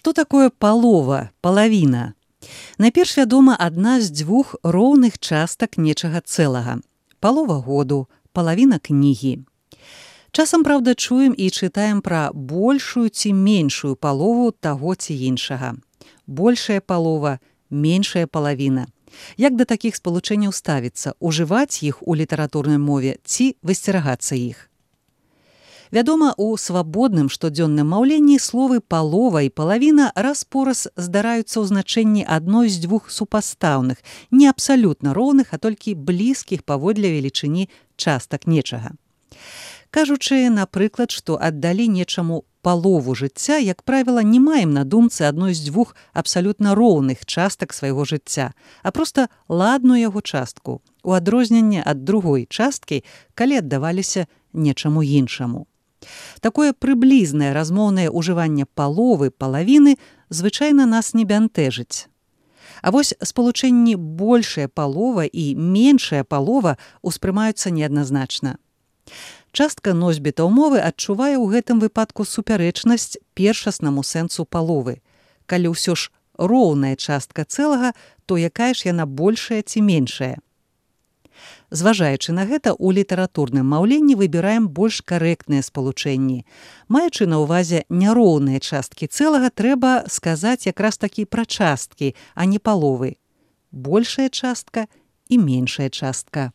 Што такое палова, палавіна? Найперш вядома адна з дзвюх роўных частак нечага цэлага. Палова году, палавіна кнігі. Часам, праўда, чуем і чытаем пра большую ці меншую палову таго ці іншага. Большая палова, меншая палавіна. Як да такіх спалучэнняў ставіцца, ужываць іх у літаратурнай мове ці высцерагацца іх? Вядома, у свабодным штодзённым маўленні словы палова і палавіна раз-пораз здараюцца ў значэнні адной з дзвюх супастаўных, не абсалютна роўных, а толькі блізкіх паводле велічыні частак нечага. Кажучы, напрыклад, што аддалі нечаму палову жыцця, як правіла, не маем на думцы адной з дзвюх абсалютна роўных частак свайго жыцця, а проста ладную яго частку, у адрозненне ад другой часткі, калі аддаваліся нечаму іншаму. Такое прыблізнае размоўнае ўжыванне паловы, палавіны звычайна нас не бянтэжыць. А вось спалучэнні большая палова і меншая палова ўспрымаюцца неадназначна. Частка носьбітаў мовы адчувае ў гэтым выпадку супярэчнасць першаснаму сэнсу паловы. Калі ўсё ж роўная частка цэлага, то якая ж яна большая ці меншая? Зважаючы на гэта, у літаратурным маўленні выбіраем больш карэктныя спалучэнні. Маючы на ўвазе няроўныя часткі цэлага, трэба сказаць якраз такі пра часткі, а не паловы. Большая частка і меншая частка.